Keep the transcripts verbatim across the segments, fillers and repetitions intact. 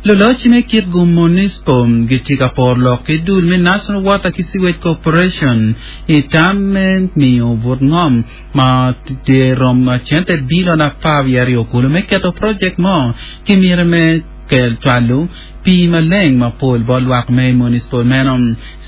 Loloc me Kitgum Municipal gitye ka poro lok ki dul me National Water ki Sewage Corporation i tam me miyo but ngom ma tye rom cente bilion apar wiye aryo kulu me keto project mo ki myero me kel cwalo pii maleng mapol bot lwak me municipal meno.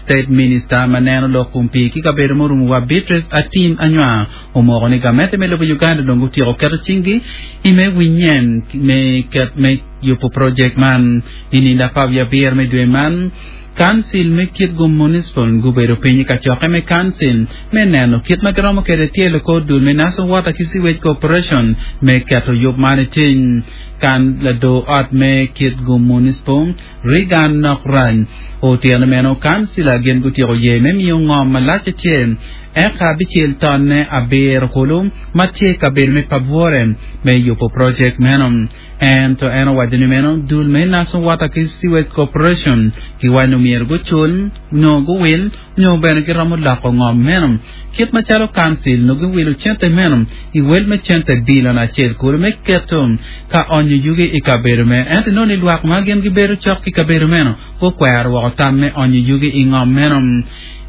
State Minister ma neno lok kom pii ki kabedo murumo wa Beatrice Atim Anywar omoko ni gamente me lobo Uganda dong otyeko keto cinggi i me winyen me ket me yubo project man i nindo apar wiye abiro me dwe man. Council me Kitgum Municipal gubedo piny i kacokke me council me neno kit ma giromo kwede tyelo kor dul me National Water ki Sewage Corporation me keto yub man i cing. Kan lador ot me Kitgum Municipal Regan Nokrany otyeno meno kancila gin gutyeko ye me miyo ngom malac acel eka abicel tonne abiro kulu ma tye kabedo me Pabwore me yubo project meno. Ento en owaco ni meno dul me National Water ki Sewage Corporation giwaco ni myero gucul nyo guwil nyo bene giromo loko ngom meno kit macalo council no giwilo cente meno i wel me cente bilion acel kulu me keto ka onyo yugi i kabedo meno. Ento inongo ni lwak ma gin gibedo cok ki kabedo meno gukwero woko tam me onyo yugi i ngom meno.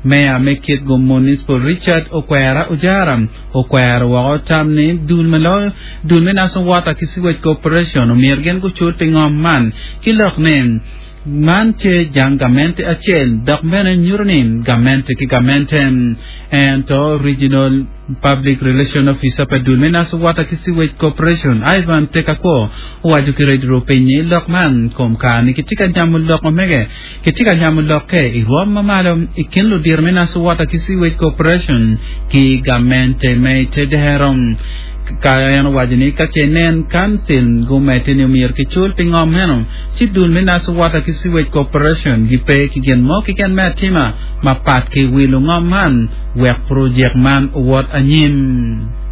Meya me Kitgum Municipal Richard Okwera Ojara okwero woko tam ni dul me loyo dul me National Water ki Sewage Corporation omyero gin gucul pi ngom man ki lok ni man tye jang gamente acel dok bene nyuto ni gamente ki gamente. Ento Regional Public Relation Officer pa dul me National Water ki Sewage Corporation Ivan Tekakwo owaco ki Radio Rupiny lok man kom kare ni kitye ka nyamo lok omege kitye ka nyamo lokke i rwom ma malo i kin ludito me National Water ki Sewage Corporation ki gamente me tedero. Ka en owaco ni ka ce nen council gumedde ni omyero kicul pi ngom meno ci dul me National Water ki Sewage Corporation gipe ki gin mo keken me atima mapat ki wilo ngom man wek project man owot anyim.